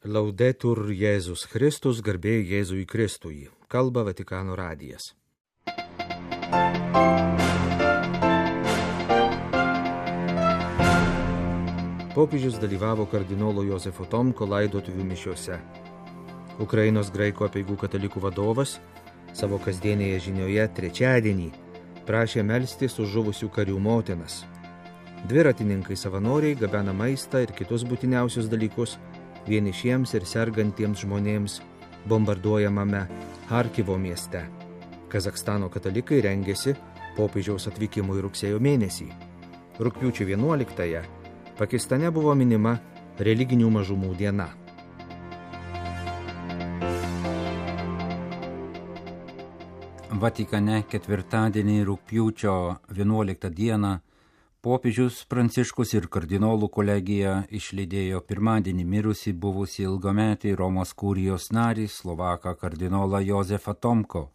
Laudetur Jėzus Kristus, garbė Jėzui Kristui. Kalba Vatikano radijas. Popiežius dalyvavo kardinolo Jozefo Tomko laidotuvių mišiose. Ukrainos graikų apeigų katalikų vadovas savo kasdienėje žinioje trečiadienį prašė melstis už žuvusių karių motinas. Dviratininkai savanoriai gabena maistą ir kitus būtiniausius dalykus vienišiems ir sergantiems žmonėms bombarduojamame Harkivo mieste. Kazachstano katalikai rengėsi popiežiaus atvykimui rugsėjo mėnesį. Rugpjūčio 11-ąją Pakistane buvo minima religinių mažumų diena. Vatikane ketvirtadienį rugpjūčio 11 dieną popiežius Pranciškus ir kardinolų kolegija išlydėjo pirmadienį mirusį buvusį ilgametį Romos kurijos narį Slovaką kardinolą Jozefą Tomko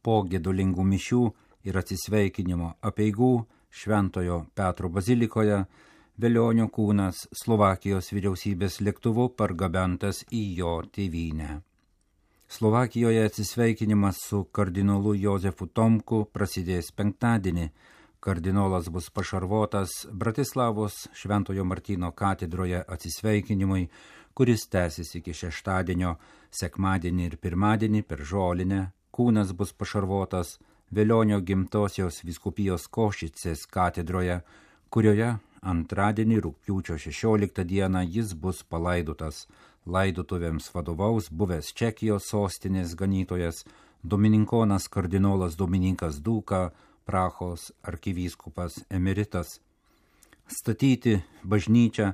po gedulingų mišių ir atsisveikinimo apeigų Šventojo Petro bazilikoje. Velionio kūnas Slovakijos vyriausybės lėktuvu pargabentas į jo tėvynę. Slovakijoje atsisveikinimas su kardinolu Jozefu Tomku prasidės penktadienį. Kardinolas bus pašarvotas Bratislavos Šventojo Martyno katedroje atsisveikinimui, kuris tęsis iki šeštadienio, sekmadienį ir pirmadienį per žolinę. Kūnas bus pašarvotas Velionio gimtosios vyskupijos Košicės katedroje, kurioje antradienį rugpjūčio 16 dieną jis bus palaidotas. Laidotuvėms vadovaus buvęs Čekijos sostinės ganytojas, domininkonas kardinolas Dominikas Dūka, Prahos arkivyskupas emeritas. Statyti bažnyčią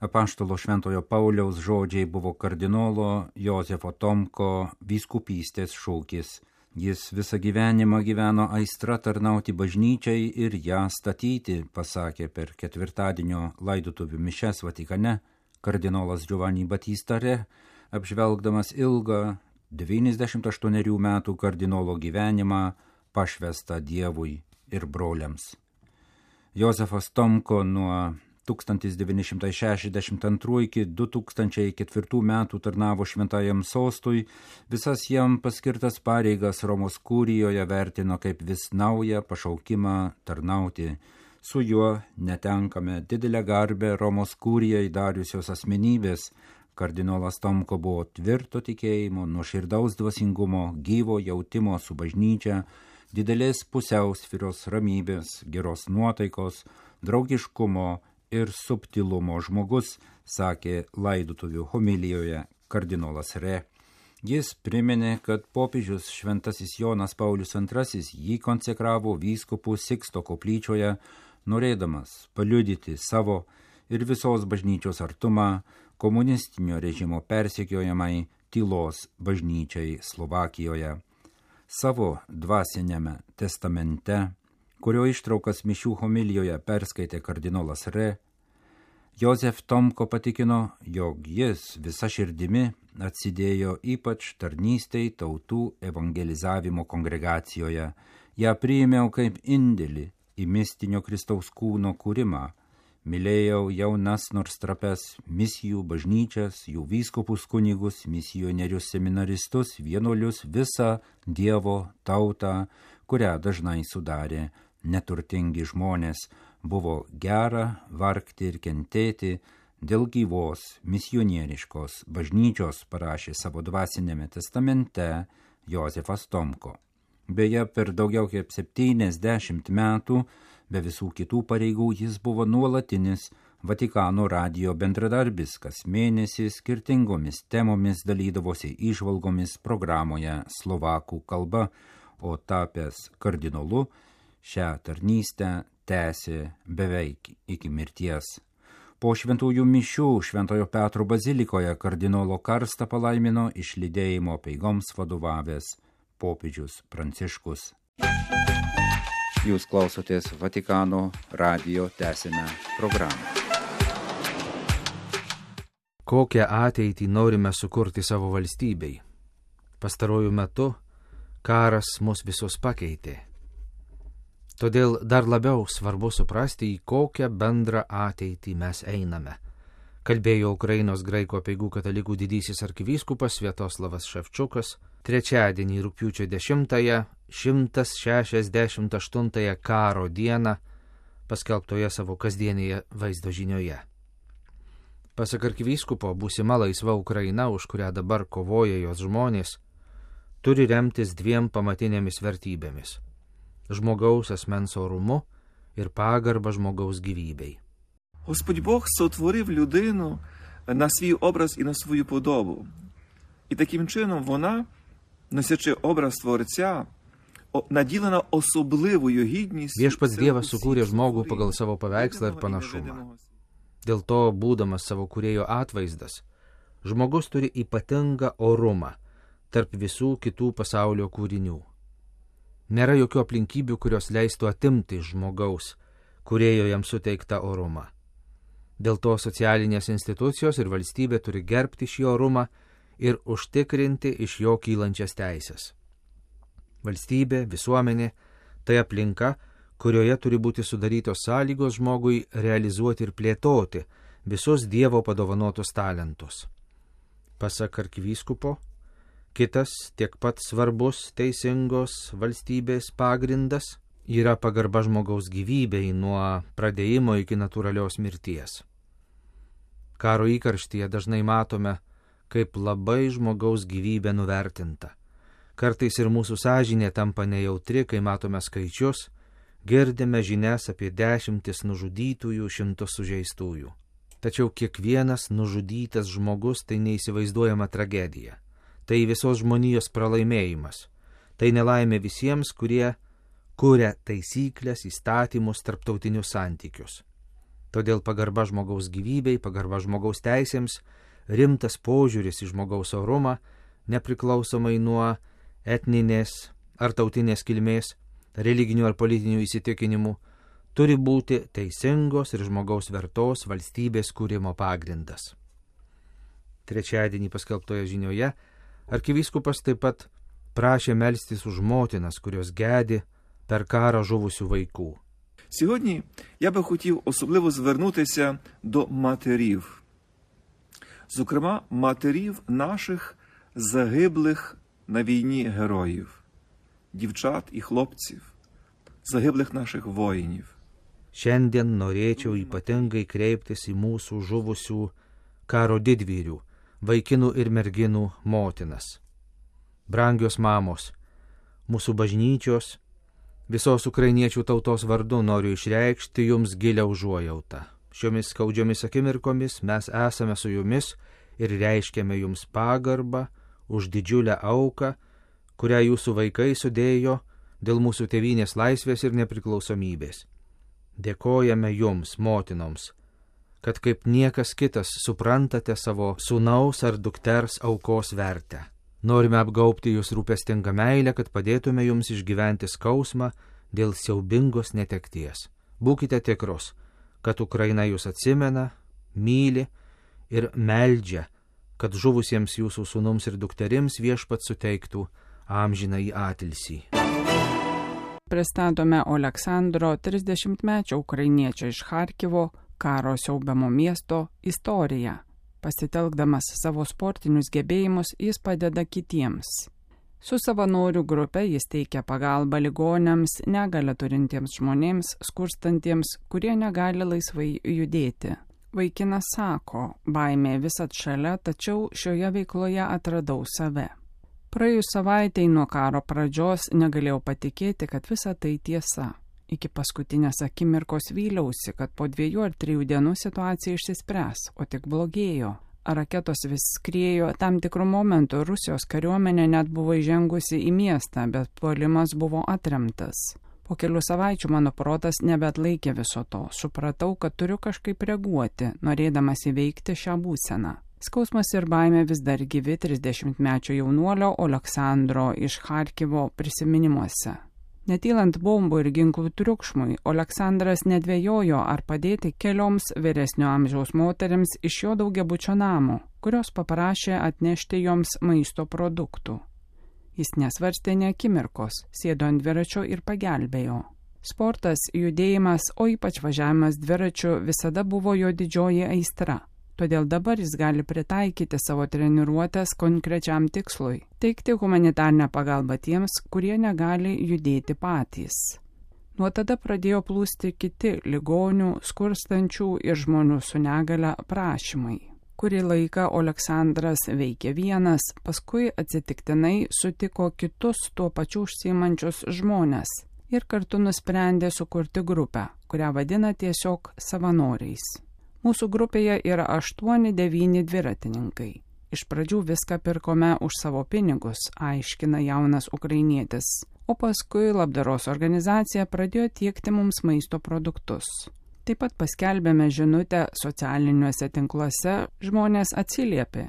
apaštalo Šventojo Pauliaus žodžiai buvo kardinolo Jozefo Tomko vyskupystės šūkis. Jis visą gyvenimą gyveno aistra tarnauti bažnyčiai ir ją statyti, pasakė per ketvirtadienio laidotuvių mišias Vatikane kardinolas Giovanni Battista Re, apžvelgdamas ilgą 98 metų kardinolo gyvenimą pašvestą Dievui ir broliams. Jozefas Tomko nuo 1962 iki 2004 metų tarnavo šventajam sostui, visas jam paskirtas pareigas Romos kurijoje vertino kaip vis naują pašaukimą tarnauti. Su juo netenkame didelę garbę Romos kurijai dariusios asmenybės. Kardinolas Tomko buvo tvirto tikėjimo, nuoširdaus dvasingumo, gyvo jautimo su bažnyčia, didelės pusiausvyros, ramybės, geros nuotaikos, draugiškumo ir subtilumo žmogus, sakė laidotuvių homilijoje kardinolas Re. Jis priminė, kad popiežius šventasis Jonas Paulius II jį konsekravo vyskupų Siksto koplyčioje, norėdamas paliudyti savo ir visos bažnyčios artumą komunistinio režimo persekiojamai tylos bažnyčiai Slovakijoje. Savo dvasiniame testamente, kurio ištraukas mišių homilijoje perskaitė kardinolas Re, Jozef Tomko patikino, jog jis visa širdimi atsidėjo ypač tarnystei tautų evangelizavimo kongregacijoje. Ją priėmiau kaip indėlį į mistinio Kristaus kūno kūrimą. Mylėjau jaunas nors trapes misijų bažnyčias, jų vyskupus kunigus, misionierius seminaristus, vienuolius, visą Dievo tautą, kurią dažnai sudarė neturtingi žmonės. Buvo gera vargti ir kentėti dėl gyvos misionieriškos bažnyčios, parašė savo dvasinėme testamente Jozefas Tomko. Beje, per daugiau kaip 70 metų, be visų kitų pareigų, jis buvo nuolatinis Vatikano radijo bendradarbis, kas mėnesį skirtingomis temomis dalydavosi įžvalgomis programoje slovakų kalba, o tapęs kardinolu šią tarnystę tęsė beveik iki mirties. Po šventųjų mišių Šventojo Petro bazilikoje kardinolo karstą palaimino išlydėjimo apeigoms vadovavęs popiežius Pranciškus. Jūs klausotės Vatikano radijo tęsiame programą. Kokią ateitį norime sukurti savo valstybei? Pastarojų metu karas mus visus pakeitė. Todėl dar labiau svarbu suprasti, į kokią bendrą ateitį mes einame. kalbėjo Ukrainos graikų apeigų katalikų didysis arkivyskupas Sviatoslavas Ševčiukas trečiadienį rugpjūčio 10-ąją 168-ąją karo dieną paskelbtoje savo kasdienėje vaizdo žinioje. Pasak arkivyskupo, būsima laisva Ukraina, už kurią dabar kovoja jos žmonės, turi remtis dviem pamatinėmis vertybėmis – žmogaus asmens orumu ir pagarba žmogaus gyvybei. Господь Бог сотворив людину на свій образ і на свою подобу. І таким чином вона, носячи образ Творця, наділена особливою гідністю. Viešpats Dievas sukūrė žmogų pagal savo paveikslą ir panašumą. Dėl to, būdamas savo kūrėjo atvaizdas, žmogus turi ypatingą orumą tarp visų kitų pasaulio kūrinių. Nėra jokių aplinkybių, kurios leistų atimti iš žmogaus, kūrėjo jam suteiktą orumą. Dėl to socialinės institucijos ir valstybė turi gerbti šį orumą ir užtikrinti iš jo kylančias teisės. Valstybė, visuomenė – tai aplinka, kurioje turi būti sudarytos sąlygos žmogui realizuoti ir plėtoti visus Dievo padovanotus talentus. Pasak arkivyskupo, kitas tiek pat svarbus teisingos valstybės pagrindas yra pagarba žmogaus gyvybei nuo pradėjimo iki natūralios mirties. Karo įkarštyje dažnai matome, kaip labai žmogaus gyvybė nuvertinta. Kartais ir mūsų sąžinė tampa nejautri, kai matome skaičius, girdime žinias apie 10 nužudytųjų, 100 sužeistųjų. Tačiau kiekvienas nužudytas žmogus tai neįsivaizduojama tragedija. Tai visos žmonijos pralaimėjimas. Tai nelaimė visiems, kurie kuria taisyklės, įstatymus, tarptautinius santykius. Todėl pagarba žmogaus gyvybei, pagarba žmogaus teisėms, rimtas požiūris į žmogaus orumą, nepriklausomai nuo etninės ar tautinės kilmės, religinių ar politinių įsitikinimų, turi būti teisingos ir žmogaus vertos valstybės kūrimo pagrindas. Trečiadienį paskelbtoje žinioje arkivyskupas taip pat prašė melstis už motinas, kurios gedi per кару žuvusių vaikų. Сьогодні я би хотів особливо звернутися до матерів. Зокрема, матерів наших загиблих на війні героїв, дівчат і хлопців, загиблих наших воїнів. Šiandien norėčiau ypatingai kreiptis į mūsų žuvusių karo didvyrių, vaikinų ir merginų motinas. Brangios mamos, mūsų bažnyčios, visos ukrainiečių tautos vardu noriu išreikšti jums gilią užuojautą. Šiomis skaudžiomis akimirkomis mes esame su jumis ir reiškiame jums pagarbą už didžiulę auką, kurią jūsų vaikai sudėjo dėl mūsų tėvynės laisvės ir nepriklausomybės. Dėkojame jums, motinoms, kad kaip niekas kitas suprantate savo sūnaus ar dukters aukos vertę. Norime apgaubti jūs rūpestingą meilę, kad padėtume jums išgyventi skausmą dėl siaubingos netekties. Būkite tikrus, kad Ukraina jūs atsimena, myli ir meldžia, kad žuvusiems jūsų sūnums ir dukterims viešpats suteiktų amžinąjį atilsį. Pristatome Oleksandro 30-mečio ukrainiečio iš Charkivo karo siaubiamo miesto istoriją. Pasitelkdamas savo sportinius gebėjimus, jis padeda kitiems. Su savanorių grupe jis teikia pagalbą ligoniams, negalią turintiems žmonėms, skurstantiems, kurie negali laisvai judėti. Vaikinas sako, baimė visat šalia, tačiau šioje veikloje atradau save. Praėjus savaitei nuo karo pradžios negalėjau patikėti, kad visa tai tiesa. Iki paskutinės akimirkos vyliausi, kad po 2 ar 3 dienų situacija išsispręs, o tik blogėjo. Raketos vis skriejo, tam tikrų momentų Rusijos kariuomenė net buvo įžengusi į miestą, bet puolimas buvo atremtas. Po kelių savaičių mano protas nebeatlaikė viso to. Supratau, kad turiu kažkaip reaguoti, norėdamas įveikti šią būseną. Skausmas ir baimė vis dar gyvi 30-mečio jaunuolio Oleksandro iš Charkivo prisiminimuose. Netylant bombų ir ginklų triukšmui, Oleksandras nedvejojo ar padėti kelioms vyresnio amžiaus moterims iš jo daugiabučio namo, kurios paprašė atnešti joms maisto produktų. Jis nesvarstė nė akimirkos, sėdo ant dviračio ir pagelbėjo. Sportas, judėjimas, o ypač važiavimas dviračiu visada buvo jo didžioji aistra. Todėl dabar jis gali pritaikyti savo treniruotės konkrečiam tikslui – teikti humanitarnę pagalbą tiems, kurie negali judėti patys. Nuo tada pradėjo plūsti kiti ligonių, skurstančių ir žmonių su negale prašymai. Kurį laiką Oleksandras veikė vienas, paskui atsitiktinai sutiko kitus tuo pačiu užsiimančius žmones ir kartu nusprendė sukurti grupę, kurią vadina tiesiog savanoriais. Mūsų grupėje yra 8-9 dviratininkai. Iš pradžių viską pirkome už savo pinigus, aiškina jaunas ukrainietis, o paskui labdaros organizacija pradėjo tiekti mums maisto produktus. Taip pat paskelbėme žinutę socialiniuose tinkluose, žmonės atsiliepė.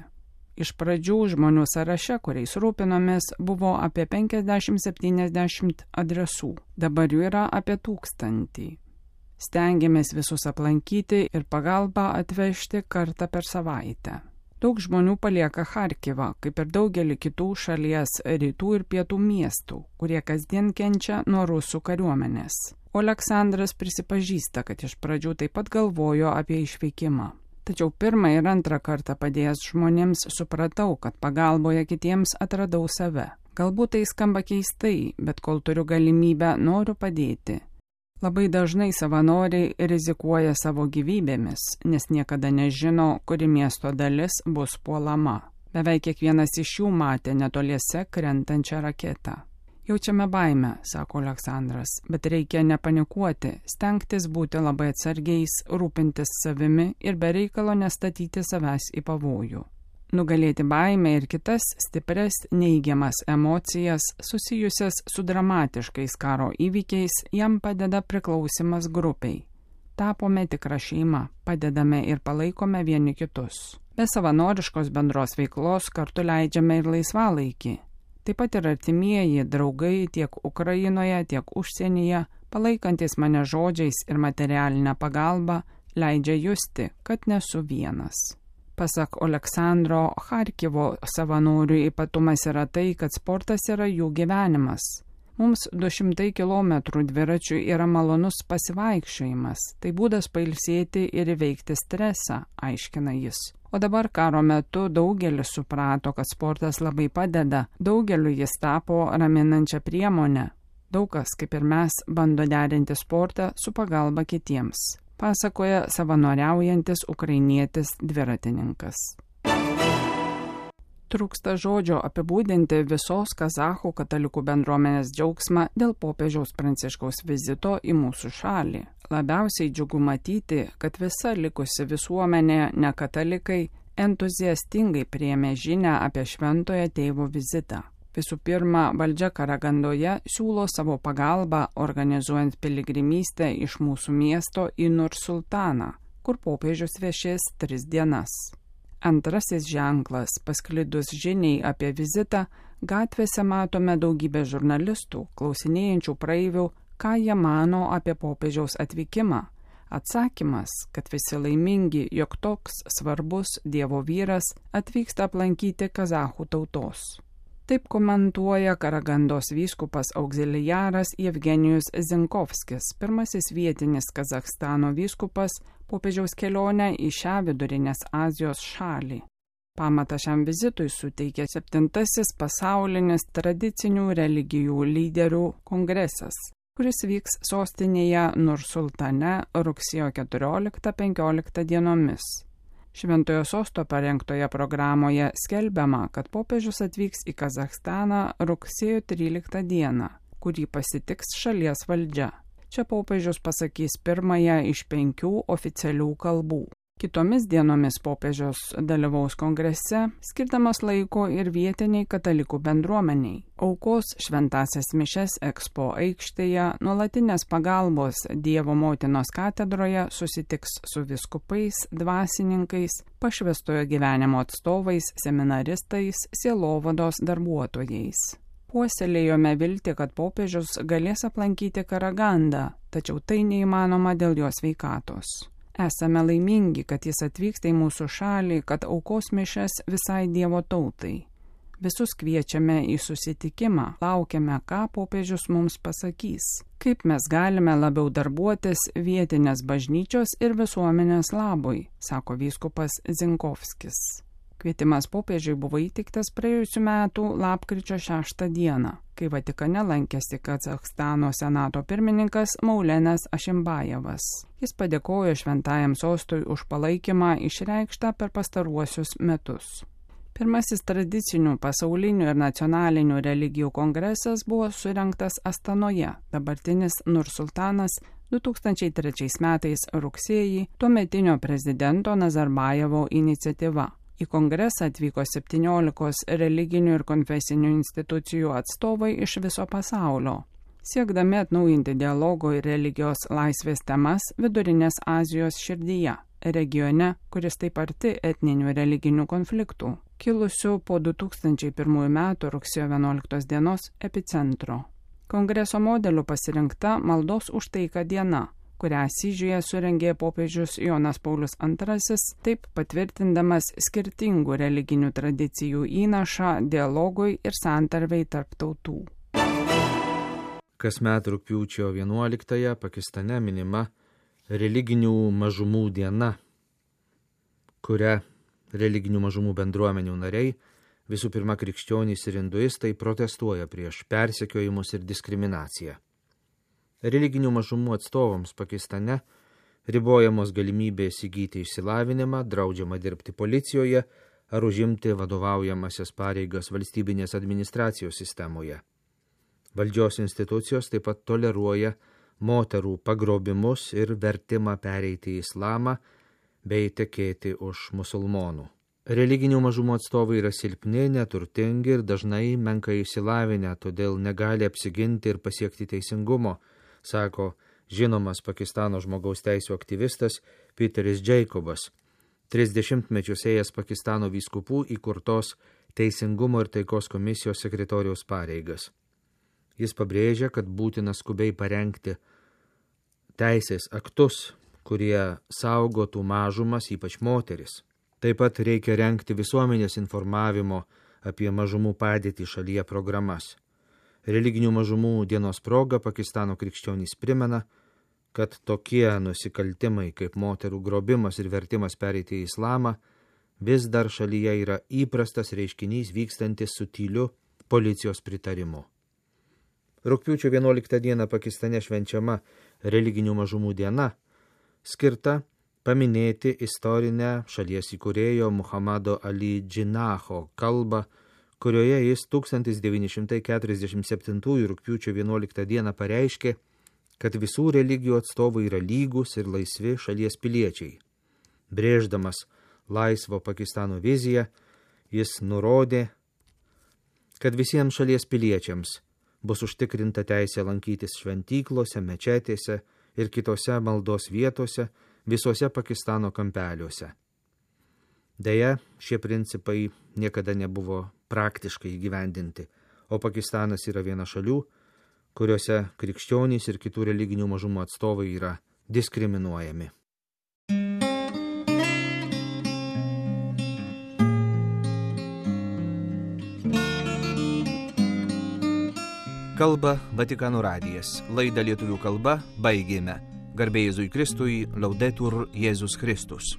Iš pradžių žmonių sąraše, kuriais rūpinomės, buvo apie 50-70 adresų, dabar jų yra apie 1000. Stengiamės visus aplankyti ir pagalbą atvežti kartą per savaitę. Daug žmonių palieka Charkivą, kaip ir daugelį kitų šalies rytų ir pietų miestų, kurie kasdien kenčia nuo rusų kariuomenės. Oleksandras prisipažįsta, kad iš pradžių taip pat galvojo apie išvykimą. Tačiau pirmą ir antrą kartą padėjęs žmonėms supratau, kad pagalboje kitiems atradau save. Galbūt tai skamba keistai, bet kol turiu galimybę, noriu padėti. Labai dažnai savanoriai rizikuoja savo gyvybėmis, nes niekada nežino, kuri miesto dalis bus puolama. Beveik kiekvienas iš jų matė netoliese krentančią raketą. Jaučiame baimę, sako Oleksandras, bet reikia nepanikuoti, stengtis būti labai atsargiais, rūpintis savimi ir be reikalo nestatyti savęs į pavojų. Nugalėti baimę ir kitas stipres neigiamas emocijas susijusias su dramatiškais karo įvykiais jam padeda priklausimas grupiai. Tapome tikra šeima, padedame ir palaikome vieni kitus. Be savanoriškos bendros veiklos kartu leidžiame ir laisvalaikį. Taip pat ir artimieji, draugai tiek Ukrainoje, tiek užsienyje, palaikantis mane žodžiais ir materialinę pagalbą, leidžia justi, kad nesu vienas. Pasak Oleksandro, Charkivo savanorių ypatumas yra tai, kad sportas yra jų gyvenimas. Mums 200 km dviračių yra malonus pasivaikščiojimas, tai būdas pailsėti ir įveikti stresą, aiškina jis. O dabar karo metu daugelis suprato, kad sportas labai padeda, daugeliu jis tapo raminančią priemonę. Daug kas, kaip ir mes, bando derinti sportą su pagalba kitiems. Pasakoja savanoriaujantis ukrainietis dviratininkas. Trūksta žodžio apibūdinti visos kazachų katalikų bendruomenės džiaugsmą dėl popiežiaus Pranciškaus vizito į mūsų šalį. Labiausiai džiugu matyti, kad visa likusi visuomenė, ne katalikai, entuziastingai priėmė žinią apie šventojo tėvo vizitą. Visų pirma, valdžia Karagandoje siūlo savo pagalbą organizuojant piligrimystę iš mūsų miesto į Nursultaną, kur popiežius viešės 3 dienas. Antrasis ženklas, pasklidus žiniai apie vizitą, gatvėse matome daugybę žurnalistų, klausinėjančių praeivių, ką jie mano apie popiežiaus atvykimą. Atsakymas, kad visi laimingi, jog toks svarbus Dievo vyras atvyksta aplankyti kazachų tautos. Taip komentuoja Karagandos vyskupas auxiliaras Jevgenijus Zinkovskis, pirmasis vietinis Kazachstano vyskupas popiežiaus kelionę į šią Vidurinės Azijos šalį. Pamatą šiam vizitui suteikė 7. pasaulinis tradicinių religijų lyderių kongresas, kuris vyks sostinėje Nursultane rugsėjo 14-15 dienomis. Šventojo sosto parengtoje programoje skelbiama, kad popiežius atvyks į Kazachstaną rugsėjo 13 dieną, kurį pasitiks šalies valdžia. Čia popiežius pasakys pirmąją iš 5 oficialių kalbų. Kitomis dienomis popiežius dalyvaus kongrese, skirdamas laiko ir vietiniai katalikų bendruomeniai. Aukos šventasias mišes Ekspo aikštėje, nuolatinės pagalbos Dievo motinos katedroje susitiks su vyskupais, dvasininkais, pašvęstojo gyvenimo atstovais, seminaristais, sielovados darbuotojais. Puoselėjome viltį, kad popiežius galės aplankyti Karagandą, tačiau tai neįmanoma dėl jo sveikatos. Esame laimingi, kad jis atvyksta į mūsų šalį, kad aukos mišias visai Dievo tautai. Visus kviečiame į susitikimą, laukiame, ką popiežius mums pasakys. Kaip mes galime labiau darbuotis vietinės bažnyčios ir visuomenės labui, sako vyskupas Zinkovskis. Kvietimas popiežiui buvo įteiktas praėjusių metų lapkričio 6 dieną, kai Vatikane lankėsi Kazachstano senato pirmininkas Maulenas Ašimbajevas. Jis padėkojo Šventajam sostui už palaikymą išreikštą per pastaruosius metus. Pirmasis tradicinių pasaulinių ir nacionalinių religijų kongresas buvo surengtas Astanoje, dabartinis Nursultanas 2003 metais rugsėjį tuometinio prezidento Nazarbajevo iniciatyva. Į kongresą atvyko 17 religinių ir konfesinių institucijų atstovai iš viso pasaulio. Siekdami atnaujinti dialogo ir religijos laisvės temas Vidurinės Azijos širdyje, regione, kuris taip arti etninių religinių konfliktų, kilusių po 2001 metų rugsėjo 11 dienos epicentro. Kongreso modeliu pasirinkta maldos už taiką diena, kurią Asyžiuje surengė popiežius Jonas Paulius II, taip patvirtindamas skirtingų religinių tradicijų įnašą dialogui ir santarvei tarp tautų. Kasmet rugpjūčio 11-ąją Pakistane minima religinių mažumų diena, kuria religinių mažumų bendruomenių nariai, visų pirma krikščionys ir hinduistai, protestuoja prieš persekiojimus ir diskriminaciją. Religinių mažumų atstovams Pakistane ribojamos galimybės įgyti išsilavinimą, draudžiama dirbti policijoje ar užimti vadovaujamasias pareigas valstybinės administracijos sistemoje. Valdžios institucijos taip pat toleruoja moterų pagrobimus ir vertimą pereiti į islamą bei tekėti už musulmonų. Religinių mažumų atstovai yra silpni, neturtingi ir dažnai menkai išsilavinę, todėl negali apsiginti ir pasiekti teisingumo, sako žinomas Pakistano žmogaus teisių aktyvistas Peteris Jacobas, 30 mečius ėjęs Pakistano vyskupų įkurtos Teisingumo ir taikos komisijos sekretoriaus pareigas. Jis pabrėžia, kad būtina skubiai parengti teisės aktus, kurie saugotų mažumas, ypač moteris. Taip pat reikia rengti visuomenės informavimo apie mažumų padėtį šalyje programas. Religinių mažumų dienos proga Pakistano krikščionys primena, kad tokie nusikaltimai kaip moterų grobimas ir vertimas pereiti į islamą vis dar šalyje yra įprastas reiškinys vykstantis su tyliu policijos pritarimu. Rugpjūčio 11 dieną Pakistane švenčiama religinių mažumų diena, skirta paminėti istorinę šalies įkūrėjo Muhammado Ali Džinaho kalbą, kurioje jis 1947 rugpjūčio 11 dieną pareiškė, kad visų religijų atstovai yra lygus ir laisvi šalies piliečiai. Brėždamas laisvo Pakistano viziją, jis nurodė, kad visiems šalies piliečiams bus užtikrinta teisė lankytis šventyklose, mečetėse ir kitose maldos vietose visose Pakistano kampeliuose. Deja, šie principai niekada nebuvo praktiškai įgyvendinti, o Pakistanas yra viena šalių, kuriuose krikščionys ir kitų religinių mažumų atstovai yra diskriminuojami. Kalba Vatikano radijas. Laidą lietuvių kalba baigėme. Garbė Jėzui Kristui, Laudetur Jėzus Kristus.